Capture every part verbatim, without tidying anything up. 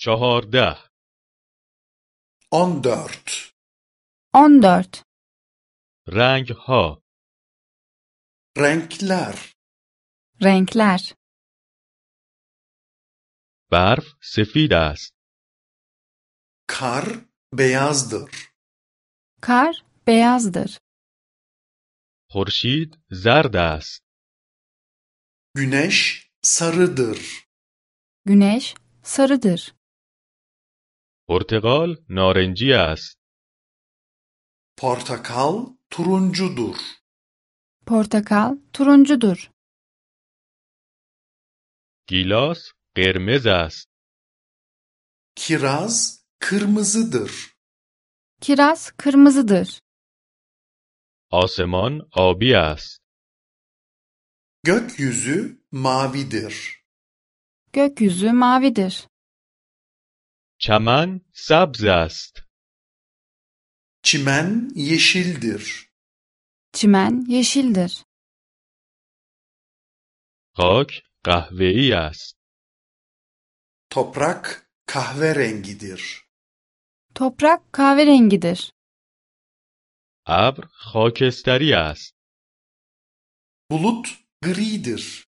چهارده. on dört. on dört. رنگ ها. Renkler. Renkler. برف سفید است. Kar beyazdır. Kar beyazdır. خورشید زرد است. Güneş sarıdır. Güneş sarıdır. پرتقال نارنجی است. Portakal turuncudur. Portakal turuncudur. گیلاس قرمز است. Kiraz kırmızıdır. Kiraz kırmızıdır. آسمان آبی است. Gökyüzü mavidir. Gökyüzü mavidir. چمن سبز است. Çimen yeşildir. Çimen yeşildir. خاک قهوه‌ای است. Toprak kahverengidir. Toprak kahverengidir. ابر خاکستری است. Bulut gridir.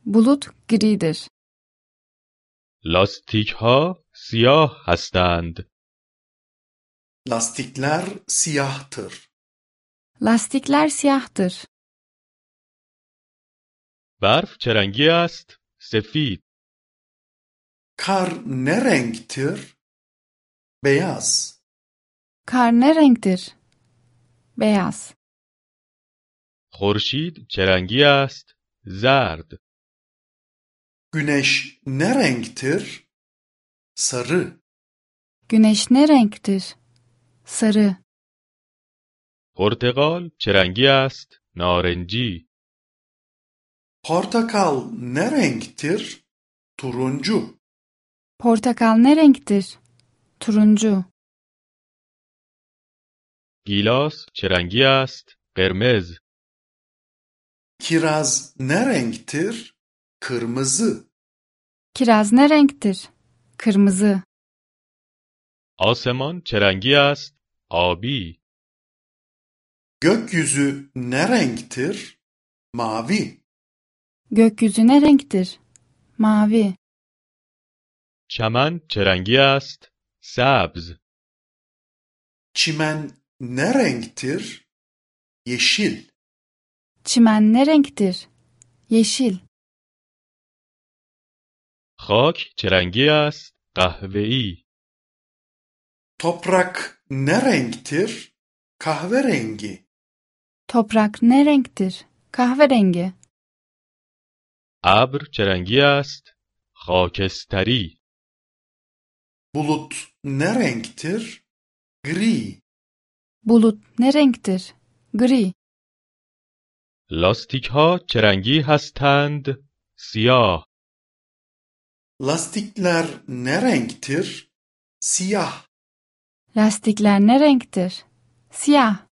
Bulut gridir. لاستیک ها سیاه هستند. Lastikler siyahtır. Lastikler siyahtır. برف چه رنگی است؟ سفید. Kar ne renktir? Beyaz. Kar ne renktir? Beyaz. خورشید چه رنگی است؟ زرد. Güneş ne renktir? Sarı. Güneş ne renktir? Sarı. پرتقال چه رنگی است؟ نارنجی. Portakal ne renktir? Turuncu. Portakal ne renktir? Turuncu. گیلاس چه رنگی است؟ قرمز. Kiraz ne renktir? Kırmızı. Kiraz ne renktir? Kırmızı. آسمان چه رنگی است؟ آبی. Gökyüzü ne renktir? Mavi. Gökyüzü ne renktir? Mavi. چمن چه رنگی است؟ سبز. Çimen ne renktir? Yeşil. Çimen ne renktir? Yeşil. خاک چه رنگی است؟ قهوه‌ای. Toprak ne renktir? Kahverengi. Toprak ne renktir? Kahverengi. ابر چه رنگی است؟ خاکستری. Bulut ne renktir? Gri. Bulut ne renktir? Gri. لاستیک ها چه رنگی هستند؟ سیاه. Lastikler ne renktir? Siyah. Lastikler ne renktir? Siyah.